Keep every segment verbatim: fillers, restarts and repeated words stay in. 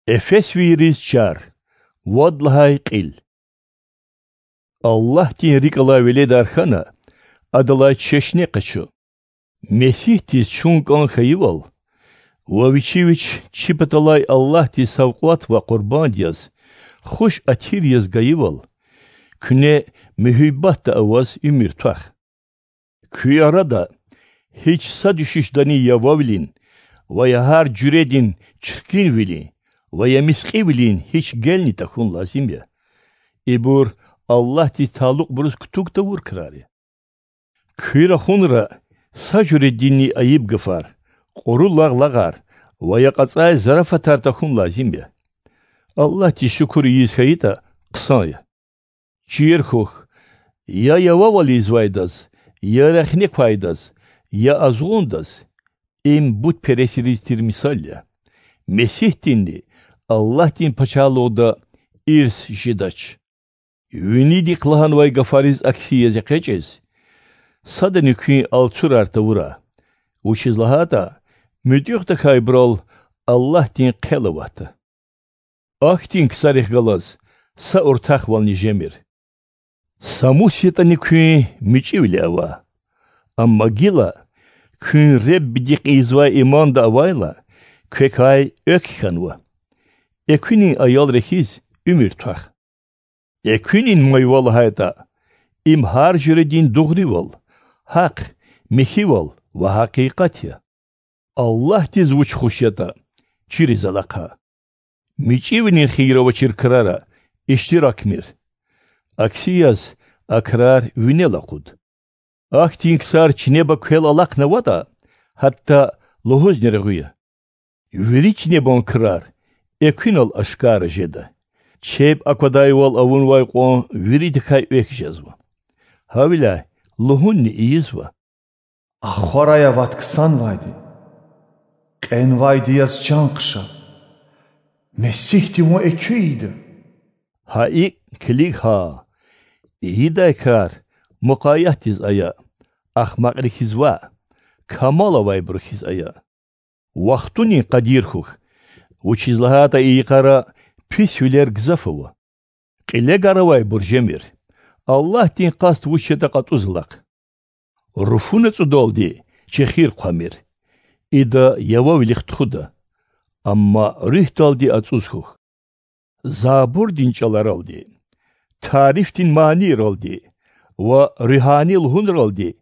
Эфесвийриз чар. Вад лагьай кьил. Аллагьдин рикӀ алай веледар хьана, Адалай чешне къачу. Месигьдиз чун кӀан хьайивал ва Вичи Вич чи паталай Аллагьдиз савкьват ва къурбанд яз, хуш атир яз гайивал, куьне муьгьуьббатда аваз уьмуьр твах. Куь арада гьич са дуьшуьшдани явавилин ва я гьар жуьредин чиркинвилин ва я мискьивилин гьич гелни тахьун лазим я. Ибур Аллагьдиз талукьбуруз кутуг тавур крар я. Куь рахунра са жуьрединни айиб гафар, кьуру лагълагъар ва я кьацӀай зарафатар тахьун лазим я. Аллагьдиз шукур ийиз хьайитӀа, хъсан я. Чир хьухь, я явавал ийизвайдаз, я рехне квайдаз, я азгъундаз— им бутпересриз тир мисал я. Месигьдинни Аллагьдин Пачагьлугъда ирс жедач. Винидихъ лагьанвай гафариз акси яз экъечӀиз, садани куьн алцурар тавурай, вучиз лагьайтӀа муьтӀуьгъ тахьайбурал Аллагьдин хъел аватда. Ахьтин ксарихъ галаз са уртахвални жемир. Самус ятӀани куьн мичӀивиле ава. Амма гила, куьн Реббидихъ ийизвай иманда авайла, квекай экв хьанва. Экуьнин аялри хьиз уьмуьр твах. Экуьнин майва лагьайтӀа, им гьар жуьредин дугъривал, гьахъ, михьивал ва гьакъикъат я. Аллагьдиз вуч хуш ятӀа, чириз алахъа. МичӀивилин хийир авачир крара иштиракмир. Акси яз, а крар винел акъуд. Ахьтин ксар чинеба квел алахънаватӀа, гьатта лугьузни регъуь я. Вири чинебан крар экуьнал ашкара жеда. Чеб аквадайвал авунвай кьван виридакай экв жезва. Гьавиляй лугьунни ийизва: Ахварай ават ксанвайди, кьенвайди яз чан хъша. Месигьди вун экуь ийида. Гьа икӀ килиг гьа: ийидай кар мукъаятдиз ая, ахмакьри хьиз ваъ, камал авайбуру хьиз ая. Вахтунин къадир хьухь, вучиз лагьайтӀа и йикъара писвилер гзаф ава. Кьиле гар авайбур жемир. Аллагьдин къаст вуч ятӀа кьатӀуз алахъ. Руфуна цӀудалди чехир хъвамир, ида явавилихъ тухуда, амма руьгьдалди ацӀуз хьухь. Забурдин чӀаларалди, тарифдин манийралди ва руьгьани лугьунралди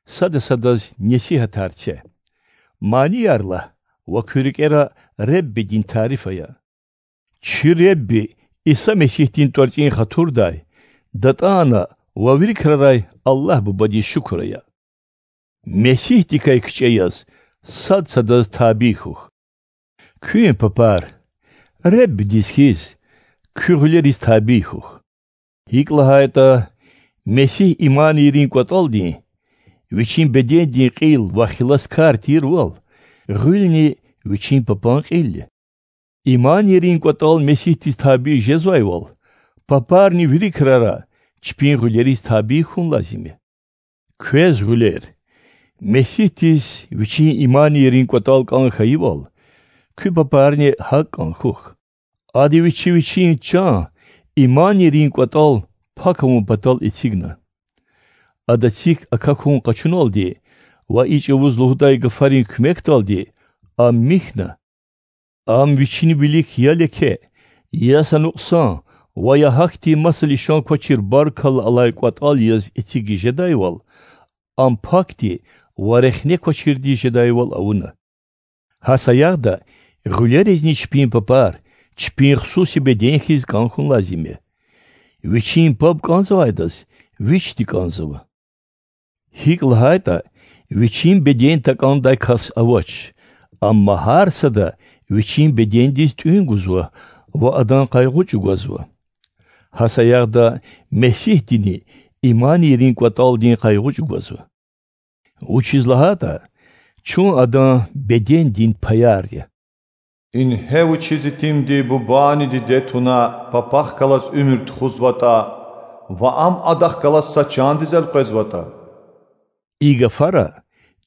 сада садаз несигьатар це. Манияр лагь ва куь рикӀера Реббидин тариф ая. Чи Ребби Иса Месигьдин тӀварцӀин хатурдай, датӀана ва вири крарай Аллагь Бубадиз шукур ая. Месигьдикай кичӀе яз сад садаз табий хьухь. Куьн, папар, Реббидиз хьиз, куь гъуьлериз табий хьухь. ГьикӀ лагьайтӀа Месигь иманийрин кӀватӀалдин, вичин бедендин кьил ва хиласкар тирвал, гъуьлни вичин папан кьил я. Иманийрин кӀватӀал Месигьдиз табий жезвайвал, папарни вири крара чпин гъуьлериз табий хьун лазим я. Квез, гъуьлер, Месигьдиз вичин иманийрин кӀватӀал кӀан хьайивал, куь папарни гьакӀ кӀан хьухь. Ада вичи вичин чан иманийрин кӀватӀал пак авун патал эцигна. Ада цик акахьун къачуналди ва и чӀавуз лугьудай гафарин куьмекдалди ам михьна. Ам вичин вилик я леке, я са нукьсан ва я гьахьтин маса лишан квачир баркалла алай кӀватӀал яз эцигиз жедайвал, ам пакди ва рехне квачирдиз жедайвал авуна. Гьа саягъда гъуьлеризни чпин папар чпин хсуси беден хьиз кӀан хьун лазим я. Вичин паб кӀанзавайдаз вичди кӀанзава. ГьикӀ лагьайтӀа вичин беден такӀандай кас авач, амма гьар сада вичин бедендиз тӀуьн гузва ва адан къайгъу чӀугвазва. Гьа саягъда Месигьдини иманийрин кӀватӀалдин къайгъу чӀугвазва. Вучиз лагьайтӀа чун адан бедендин паяр я. Ингье вучиз итимди бубани диде туна папахъ галаз уьмуьр тухузватӀа ва ам адахъ галаз са чандиз элкъвезватӀа. И гафара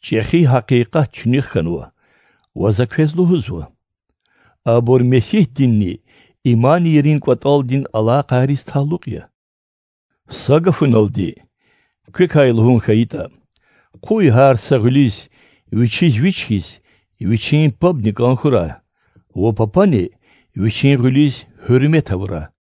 чӀехи гьакъикъат чуьнуьх хьанва ва за квез лугьузва: Абур Месигьдинни иманийрин кІватІалдин алакъайриз талукь я. Са гафуналди, квекай лугьун хьайитІа, къуй гьар са гъуьлуьз вичиз вич хьиз вичин пабни кІан хьурай ва папани вичин гъуьлуьз гьуьрмет авурай.